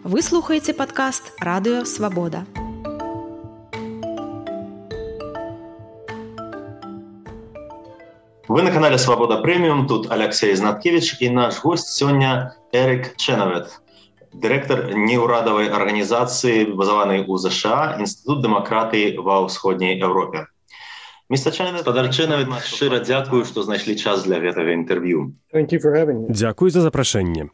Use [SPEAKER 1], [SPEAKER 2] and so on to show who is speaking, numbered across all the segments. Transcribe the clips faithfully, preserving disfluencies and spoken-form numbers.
[SPEAKER 1] Вы слухаеце падкаст «Радыё Свабода».
[SPEAKER 2] Вы на канале «Свобода Премиум», тут Алексей Знаткевич, и наш гость сегодня Эрик Ченовет, директор неурадовой организации, базованной у США, Институт демократии во Ўсходняй Европе. Мистер Ченовет, Господар Ченовет, шчыра дзякую, што знайшлі час для гэтага інтэрв'ю.
[SPEAKER 3] Дзякуй за запрашэнне.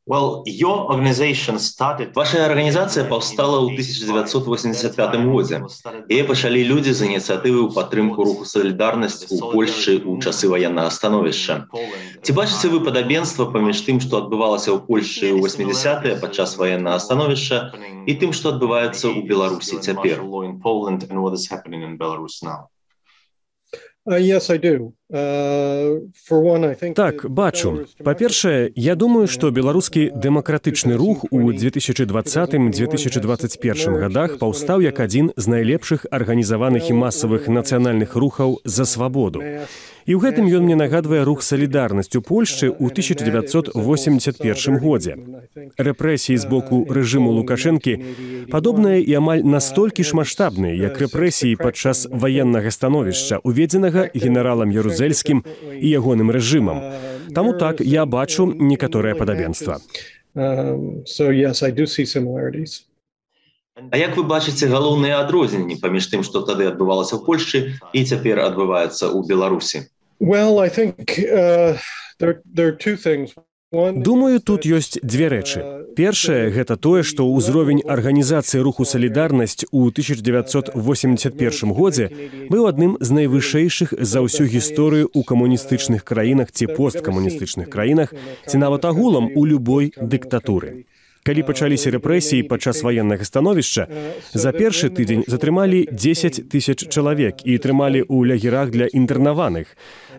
[SPEAKER 2] Well, your organization started... Ваша организация повстала ў тысяча девятьсот восемьдесят пятым годзе. Яе пачалі людзі з ініцыятывы ў падтрымку руху «Салідарнасць» у Польшчы ў часы ваеннага становішча. Ці бачыце вы падабенства паміж тым, што адбывалася ў Польшчы ў восьмідзясятыя падчас ваеннага становішча, і тым, што адбываецца ў Беларусі цяпер?
[SPEAKER 4] Uh, yes, I do. Uh, for one, I think
[SPEAKER 3] так, бачу. Па-першае, я думаю, што беларускі дэмакратычны рух у две тысячы двадцатым - две тысячы двадцать первым гадах паўстаў як адзін з найлепшых арганізаваных і масавых нацыянальных рухаў за свабоду. І ў гэтым ён мне нагадвае рух «Салідарнасць» у Польшчы ў тысяча девятьсот восемьдесят первым годзе. Рэпрэсіі з боку рэжыму Лукашэнкі падобныя і амаль настолькі ж маштабныя, як рэпрэсіі падчас ваеннага становішча, уведзенага генералам Ярузельскім і ягоным рэжымам. Таму так, я бачу некаторае падабенства.
[SPEAKER 4] Um, so yes, I do see similarities.
[SPEAKER 2] А як вы бачыце галоўныя адрозненні паміж тым, што тады адбывалася ў Польшчы і цяпер адбываецца ў Беларусі?
[SPEAKER 4] Well, I think uh, there, there are two things.
[SPEAKER 3] Думаю, тут ёсць дзве рэчы. Першае – гэта тое, што ўзровень арганізацыі руху «Салідарнасць» у тысяча девятьсот восемьдесят первым годзе быў адным з найвышэйшых за ўсю гісторыю ў камуністычных краінах ці посткамуністычных краінах, ці нават агулам у любой дыктатуры. Калі пачаліся рэпрэсіі падчас ваеннага становішча, за першы тыдзень затрымалі дзесяць тысяч чалавек і трымалі ў лагерах для інтэрнаваных.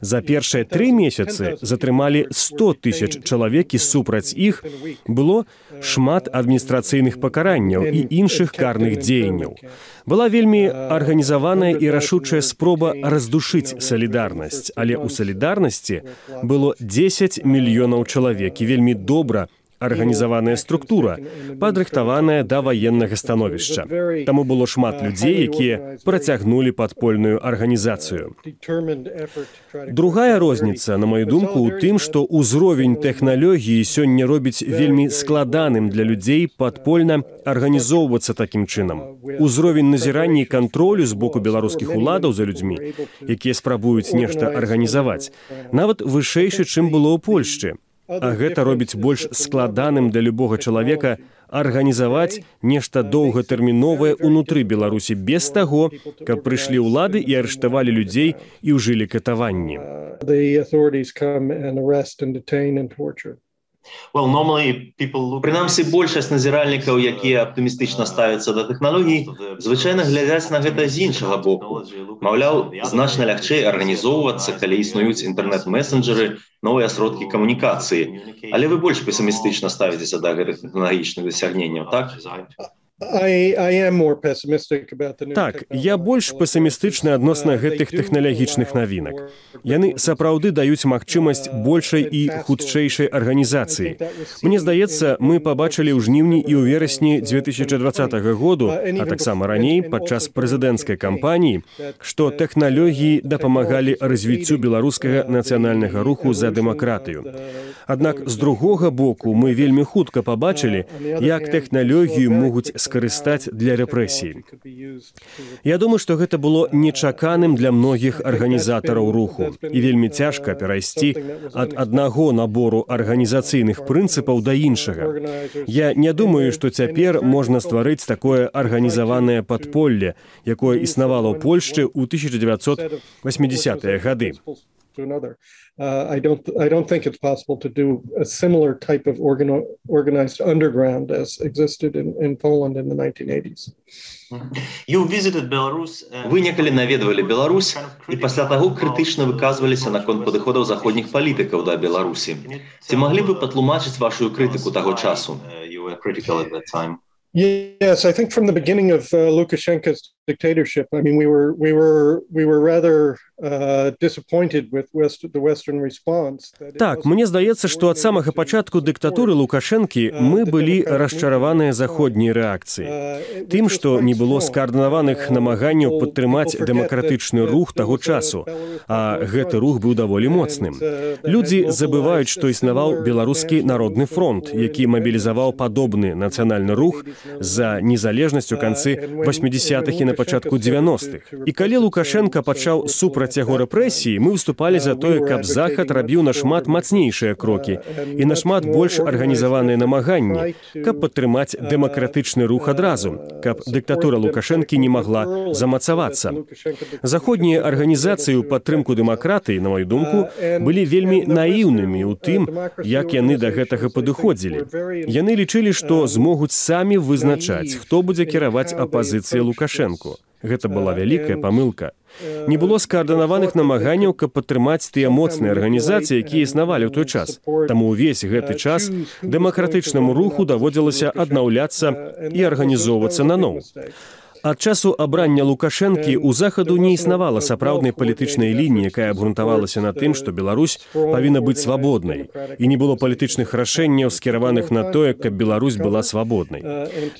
[SPEAKER 3] За першыя тры месяцы затрымалі сто тысяч чалавек, і супраць іх было шмат адміністрацыйных пакаранняў і іншых карных дзеянняў. Была вельмі арганізаваная і рашучая спроба раздушыць «Салідарнасць», але ў «Салідарнасці» было дзесяць мільёнаў чалавек і вельмі добра арганізаваная структура, падрыхтаваная да ваеннага становішча. Таму было шмат людзей, якія працягнулі падпольную арганізацыю. Другая розніца, на маю думку, у тым, што ўзровень тэхналогіі сёння робіць вельмі складаным для людзей падпольна арганізоўвацца такім чынам. Узровень назірання і кантролю з боку беларускіх уладаў за людзьмі, якія спрабуюць нешта арганізаваць, нават вышэйшы, чым было ў Польшчы. А гэта робіць больш складаным для любога чалавека арганізаваць нешта доўгатэрміновае ўнутры Беларусі без таго, каб прыйшлі ўлады і арыштавалі людзей і ўжылі катаванні.
[SPEAKER 2] Well, normally people look... Прынамсі, большасць назіральнікаў, якія аптымістычна ставяцца да тэхналогій, звычайна глядзяць на гэта з іншага боку. Маўляў, значна лягчэй арганізоўвацца, калі існуюць інтэрнэт-месенджеры, новыя сродкі камунікацыі. Але вы больш песімістычна ставіцеся да гэтых тэхналагічных дасягненняў, так?
[SPEAKER 4] I, I am more pessimistic about the new
[SPEAKER 3] так, я больш песімістычны адносна гэтых тэхналагічных навінак. Яны сапраўды даюць магчымасць большай і хутчэйшай арганізацыі. Мне здаецца, мы пабачылі ў жніўні і ў верасні две тысячи двадцатага году, а таксама раней, падчас прэзідэнцкай кампаніі, што тэхналогіі дапамагалі развіццю беларускага нацыянальнага руху за дэмакратыю. Аднак, з другога боку, мы вельмі хутка пабачылі, як тэхналогію могуць скарыстаць для рэпрэсій. Я думаю, што гэта было нечаканым для многіх арганізатараў руху, і вельмі цяжка перайсці ад аднаго набору арганізацыйных прынцыпаў да іншага. Я не думаю, што цяпер можна стварыць такое арганізаванае падполле, якое існавала ў Польшчы ў тысяча девятьсот восьмидесятыя гады.
[SPEAKER 4] To another. Uh, I don't. I don't think it's possible to do a similar type of organ, organized underground as existed in, in Poland in the nineteen eighties.
[SPEAKER 2] You visited Belarus. Вы некалі наведвалі Беларусь і пасля таго крытычна выказваліся наконт падыходаў заходніх палітыкаў да Беларусі. Ці маглі бы патлумачыць вашу крытыку таго часу? You were critical at that time.
[SPEAKER 4] Yes, I think from the beginning of uh, Lukashenko's dictatorship. I mean, we were we were we were rather uh, disappointed with West, the Western response.
[SPEAKER 3] Так, мне здаецца, што ад самага пачатку дыктатуры Лукашэнкі мы былі расчараваныя заходняй рэакцыяй. Тым, што не было скаардынаваных намаганняў падтрымаць дэмакратычны рух таго часу, а гэты рух быў даволі моцным. Людзі забываюць, што існаваў Беларускі народны фронт, які мабілізаваў падобны нацыянальны рух за незалежнасць у канцы восьмідзесятых і на пачатку дзевяностых. І калі Лукашенка пачаў супраць яго рэпрэсіі, мы выступалі за тое, каб Захад рабіў нашмат мацнейшыя крокі і нашмат больш арганізаваныя намаганні, каб падтрымаць дэмакратычны рух адразу, каб дыктатура Лукашэнкі не магла замацавацца. Заходнія арганізацыі ў падтрымку дэмакратыі, на маю думку, былі вельмі наіўнымі ў тым, як яны да гэтага падыходзілі. Яны лічылі, што змогуць самі вызначаць, хто будзе кіраваць апазіцыяй Лукашэнку. Гэта была вялікая памылка. Не было скаардынаваных намаганняў, каб падтрымаць тыя моцныя арганізацыі, якія існавалі ў той час. Таму ўвесь гэты час дэмакратычнаму руху даводзілася аднаўляцца і арганізоўвацца наноў. Ад часу абрання Лукашэнкі ў Захаду не існавала сапраўднай палітычнай лініі, якая абгрунтавалася на тым, што Беларусь павінна быць свабоднай, і не было палітычных рашэнняў, скіраваных на тое, каб Беларусь была свабоднай.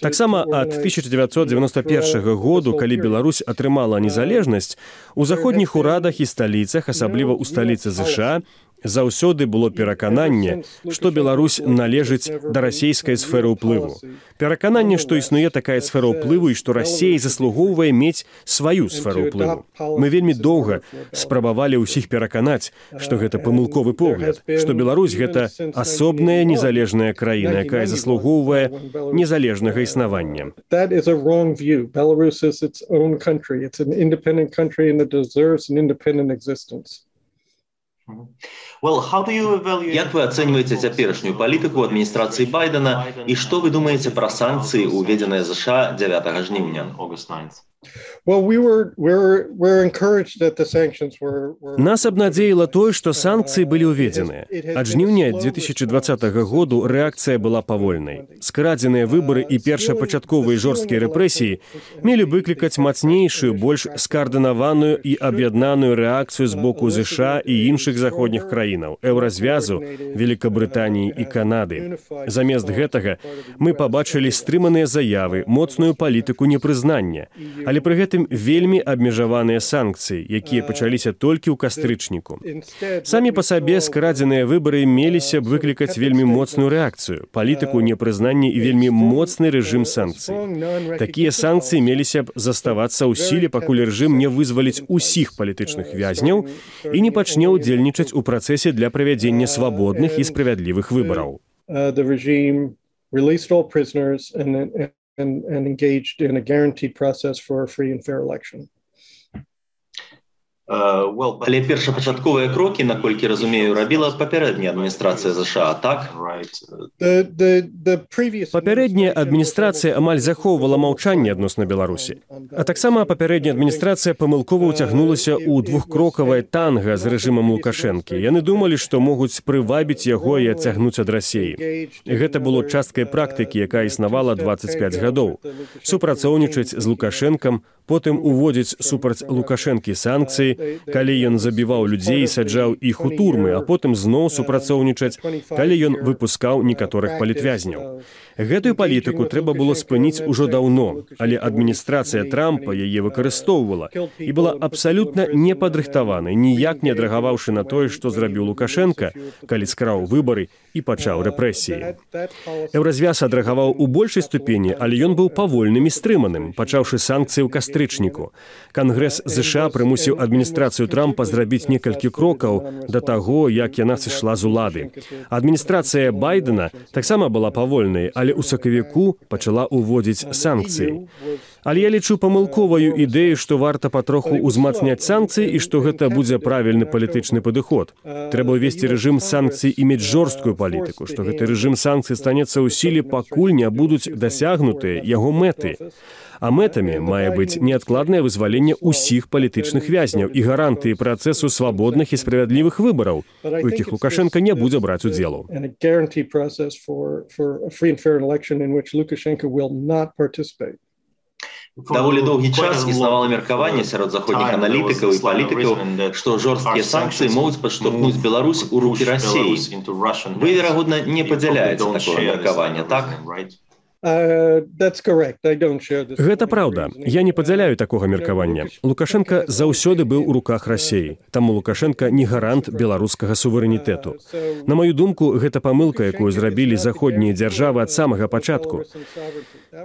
[SPEAKER 3] Таксама ад тысяча дзевяцьсот дзевяноста першага году, калі Беларусь атрымала незалежнасць, у заходніх урадах і сталіцах, асабліва ў сталіцы ЗША, заўсёды было перакананне, што Беларусь належыць да расейскай сферы ўплыву. Перакананне, што існуе такая сфера ўплыву і што Расія заслугоўвае мець сваю сферу ўплыву. Мы вельмі доўга спрабавалі ўсіх пераканаць, што гэта памылковы погляд, што Беларусь — гэта асобная незалежная краіна, якая заслугоўвае незалежнага існавання.
[SPEAKER 4] That is a wrong view. Belarus is its own country. It's an independent country and it deserves an independent existence.
[SPEAKER 2] Well, how do you evaluate... Як вы ацэньваеце цяперашнюю палітыку адміністрацыі Байдена і што вы думаеце пра санкцыі, уведзеныя ЗША дзявятага жніўня?
[SPEAKER 4] Well, we were, we were, we were encouraged that the sanctions were, were...
[SPEAKER 3] Нас абнадзеіла тое, што санкцыі былі ўведзеныя. Ад жніўня две тысячы дваццатага году рэакцыя была павольнай. Скрадзеныя выбары і першапачатковыя жорсткія рэпрэсіі мелі выклікаць мацнейшую, больш скаардынаваную і аб'яднаную рэакцыю з боку ЗША і іншых заходніх краінаў, Еўразвязу, Великабрытаніі і Канады. Замест гэтага мы пабачылі стрыманыя заявы, моцную палітыку непрызнання, але пры гэтым вельмі абмежаваныя санкцыі, якія пачаліся толькі ў кастрычніку. Самі па сабе скрадзеныя выбары меліся б выклікаць вельмі моцную рэакцыю, палітыку непрызнання і вельмі моцны рэжым санкцый. Такія санкцыі меліся б заставацца ў сіле, пакуль рэжым не вызваліць усіх палітычных вязняў і не пачне ўдзельнічаць у працэсе для правядзення свабодных і справядлівых выбараў.
[SPEAKER 4] The regime released all prisoners and And, and engaged in a guaranteed process for a free and fair election.
[SPEAKER 2] Uh, well, але першапачатковыя крокі, наколькі разумею, рабіла папярэдняя адміністрацыя ЗША, так?
[SPEAKER 4] The, the, the previous...
[SPEAKER 3] Папярэдняя адміністрацыя амаль захоўвала маўчанне адносна Беларусі. А таксама папярэдняя адміністрацыя памылкова ўцягнулася ў двухкрокавае танга з рэжымам Лукашэнкі. Яны думалі, што могуць прывабіць яго і адцягнуць ад Расіі. Гэта было часткай практыкі, якая існавала дваццаць пяць гадоў. Супрацоўнічаць з Лукашэнкам, потым уводзіць супраць Лукашэнкі санкцыі, калі ён забіваў людзей і саджаў іх у турмы, а потым зноў супрацоўнічаць, калі ён выпускаў некаторых палітвязняў. Гэтую палітыку трэба было спыніць ужо даўно, але адміністрацыя Трампа яе выкарыстоўвала і была абсалютна непадрыхтаванай, ніяк не адрэагаваўшы на тое, што зрабіў Лукашэнка, калі скраў выбары і пачаў рэпрэсіі. Еўразвяз адрэагаваў у большай ступені, але ён быў павольным і стрыманым, пачаўшы санкцыі ў кастрычніку. Кангрэс ЗША прымусіў адміністрацыю Трампа зрабіць некалькі крокаў да таго, як яна сышла з улады. Адміністрацыя Байдена таксама была павольнай, але ў сакавіку пачала ўводзіць санкцыі. Але я лічу памылковаю ідэю, што варта патроху ўзмацняць санкцыі і што гэта будзе правільны палітычны падыход. Трэба ўвесці рэжым санкцый і мець жорсткую палітыку, што гэты рэжым санкцый станецца ў сіле, пакуль не будуць дасягнутыя яго мэты. А мэтамі мае быць неадкладнае вызваленне ўсіх палітычных вязняў і гарантыі працэсу свабодных і справядлівых выбараў, у якіх Лукашенка не будзе браць удзелу.
[SPEAKER 2] Даволі доўгі час існавала меркаванне сярод заходніх аналітыкаў і палітыкаў, што жорсткія санкцыі могуць падштурхнуць Беларусь у рукі Расіі. Вы, верагодна, не падзяляеце такое меркаванне, так?
[SPEAKER 3] Гэта праўда. Я не падзяляю такога меркавання. Лукашенка заўсёды быў у руках Расіі. Таму Лукашенка не гарант беларускага суверэнітэту. На маю думку, гэта памылка, якую зрабілі заходнія дзяржавы ад самага пачатку.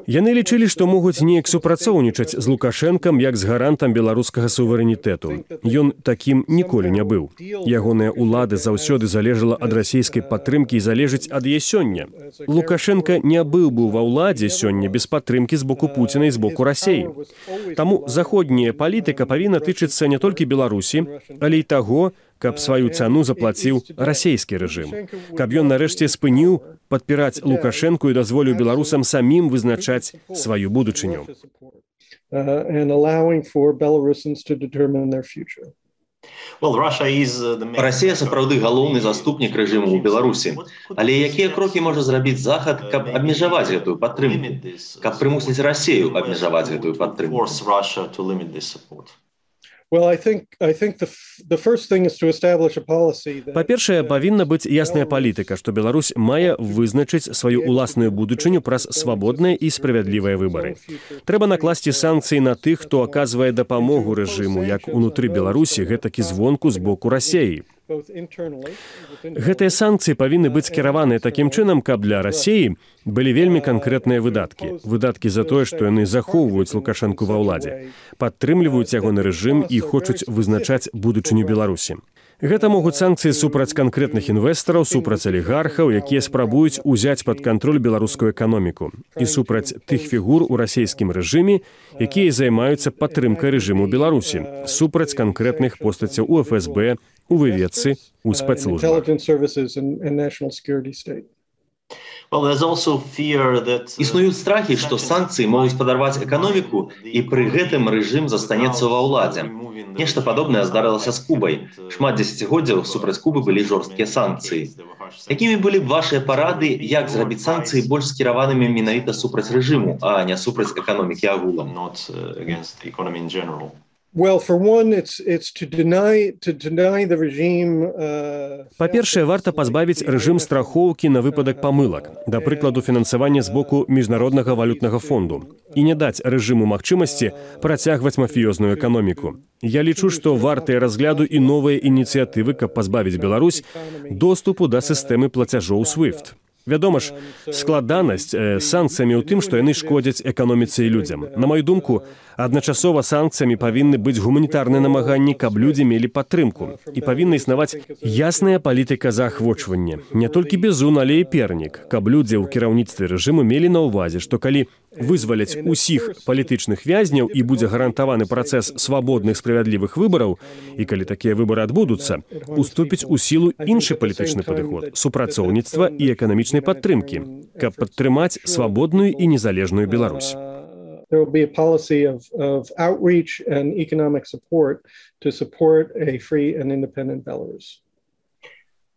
[SPEAKER 3] Яны лічылі, што могуць неяк супрацоўнічаць з Лукашэнкам як з гарантам беларускага суверэнітэту. Ён такім ніколі не быў. Ягоная ўлада заўсёды залежала ад расійскай падтрымкі і залежыць ад яе сёння. Лукашенка не быў бы ва ўладзе сёння без падтрымкі з боку Пуціна і з боку Расіі. Таму заходняя палітыка павінна тычыцца не толькі Беларусі, але і таго, каб сваю цану заплаціў расійскі рэжым. Каб ён нарэшце спыніў падпіраць Лукашэнку і дазволіў беларусам самім вызначаць сваю будучыню.
[SPEAKER 2] Расія сапраўды галоўны заступнік рэжыму ў Беларусі. Але якія крокі можа зрабіць Захад, каб абмежаваць гэтую падтрымку? Каб прымусіць Расію абмежаваць гэтую падтрымку?
[SPEAKER 3] Па-першае, павінна быць ясная палітыка, што Беларусь мае вызначыць сваю ўласную будучыню праз свабодныя і справядлівыя выбары. Трэба накласці санкцыі на тых, хто аказвае дапамогу рэжыму, як унутры Беларусі, гэтак і звонку з боку Расіі. Гэтыя санкцыі павінны быць скіраваныя такім чынам, каб для Расіі былі вельмі канкрэтныя выдаткі. Выдаткі за тое, што яны захоўваюць Лукашэнку ва ўладзе, падтрымліваюць ягоны рэжым і хочуць вызначаць будучыню Беларусі. Гэта могуць санкцыі супраць канкрэтных інвестараў, супраць алігархаў, якія спрабуюць узяць пад кантроль беларускую эканоміку, і супраць тых фігур у расійскім рэжыме, якія займаюцца падтрымкай рэжыму Беларусі, супраць канкрэтных постацяў у эф эс бэ, у выведцы, у спецслужбах.
[SPEAKER 2] Існуюць страхі, што санкцыі могуць падарваць эканоміку, і пры гэтым рэжым застанецца ва ўладзе. Нешта падобнае здарылася з Кубай. Шмат дзесяцігоддзяў супраць Кубы былі жорсткія санкцыі. Якімі былі б вашыя парады, як зрабіць санкцыі больш скіраванымі менавіта супраць рэжыму, а не супраць эканомікі агулам?
[SPEAKER 3] Па-першае, варта пазбавіць рэжым страхоўкі на выпадак памылак, да прыкладу фінансавання з боку міжнароднага валютнага фонду, і не даць рэжыму магчымасці працягваць мафіёзную эканоміку. Я лічу, што вартыя разгляду і новыя ініцыятывы, каб пазбавіць Беларусь доступу да сістэмы плацяжоў свифт. Вядома ж, складанасць э, санкцыямі ў тым, што яны шкодзяць эканоміцы і людзям. На маю думку, адначасова санкцыямі павінны быць гуманітарныя намаганні, каб людзі мелі падтрымку. І павінна існаваць ясная палітыка заахвочвання. Не толькі бізун, але і пернік, каб людзі ў кіраўніцтве рэжыму мелі на ўвазе, што калі вызваляць усіх палітычных вязняў і будзе гарантаваны працэс свабодных справядлівых выбараў, і калі такія выбары адбудуцца, уступіць у сілу іншы палітычны падыход, супрацоўніцтва і эканамічнай падтрымкі, каб падтрымаць свабодную і незалежную Беларусь.
[SPEAKER 4] There will be a policy of, of outreach and economic support to support a free and independent Belarus.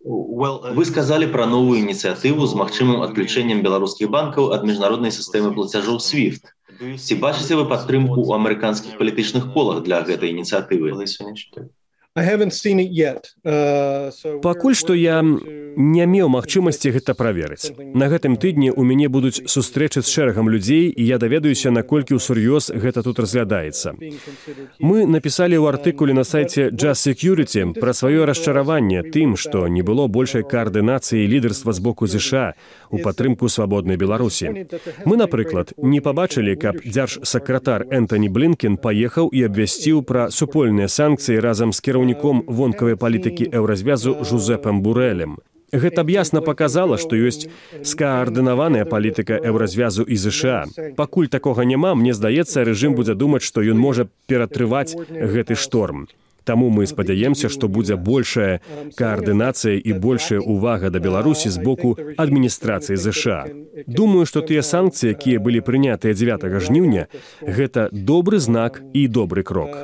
[SPEAKER 2] Вы сказалі пра новую ініцыятыву з магчымым адключэннем беларускіх банкаў ад міжнароднай сістэмы плацяжоў свифт. Ці бачыце вы падтрымку ў амерыканскіх палітычных колах для гэтай ініцыятывы?
[SPEAKER 3] Пакуль што я не меў магчымасці гэта праверыць. На гэтым тыдні ў мяне будуць сустрэчы з шэрагам людзей, і я даведаюся, наколькі ўсур'ёз гэта тут разглядаецца. Мы напісалі ў артыкуле на сайце Just Security пра сваё расчараванне тым, што не было большай каардынацыі лідарства з боку ЗША у падтрымку свабоднай Беларусі. Мы, напрыклад, не пабачылі, каб дзяржсакратар Энтані Блінкен паехаў і абвясціў пра супольныя санкцыі разам з кіраўніком вонкавай палітыкі еўразвязу Жузепам Бурэлем. Гэта б ясна паказала, што ёсць скаардынаваная палітыка еўразвязу і ЗША. Пакуль такога няма, мне здаецца, рэжым будзе думаць, што ён можа ператрываць гэты шторм. Таму мы спадзяемся, што будзе большая каардынацыя і большая ўвага да Беларусі з боку адміністрацыі ЗША. Думаю, што тыя санкцыі, якія былі прынятыя дзевятага жніўня, гэта добры знак і добры крок.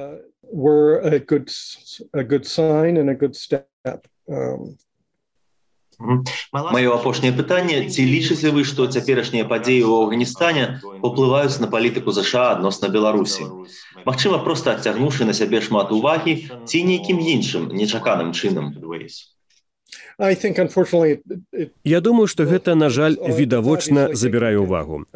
[SPEAKER 2] Маё апошняе пытанне, ці лічыце вы, што цяперашнія падзеі ў Афганістане паўплываюць на палітыку ЗША адносна Беларусі? Магчыма, проста адцягнуўшы на сябе шмат увагі ці нейкім іншым нечаканым чынам?
[SPEAKER 3] Я думаю, што гэта, на жаль, відавочна забірае ўвагу.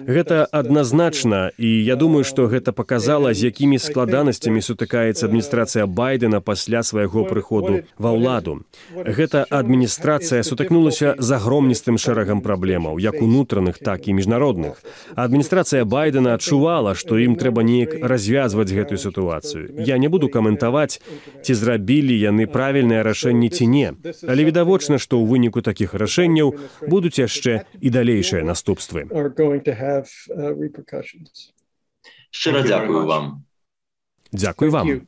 [SPEAKER 3] Гэта адназначна, і я думаю, што гэта паказала, з якімі складанасцямі сутыкаецца адміністрацыя Байдена пасля свайго прыходу ва ўладу. Гэта адміністрацыя сутыкнулася з агромністым шэрагам праблемаў, як унутраных, так і міжнародных. Адміністрацыя Байдена адчувала, што ім трэба неяк развязваць гэтую сітуацыю. Я не буду каментаваць, ці зрабілі яны правільнае рашэнне ці не. Але відавочна, што ў выніку такіх рашэнняў будуць яшчэ і далейшыя наступствы.
[SPEAKER 2] Шчыра дзякую вам.
[SPEAKER 3] Дзякуй вам.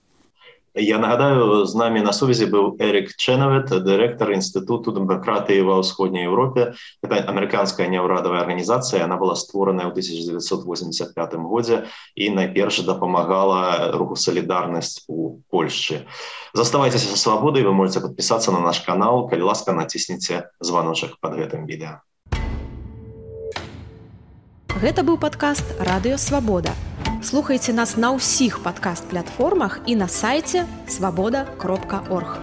[SPEAKER 2] Я нагадаю, з намі на сувязі быў Эрік Чэнавет, дырэктар Інстытуту дэмакратыі ва ўсходняй Еўропе. Гэта амерыканская няўрадавая арганізацыя, яна была створаная ў тысяча дзевяцьсот восемьдесят пятым годзе і найперш дапамагала руху «Салідарнасць» у Польшчы. Заставайцеся са свабодай, вы можете падпісацца на наш канал, калі ласка, націсніце званочак пад гэтым відэа.
[SPEAKER 1] Гэта быў падкаст «Радыё Свабода». Слухайце нас на ўсіх падкаст-платформах і на сайце свабода кропка орг.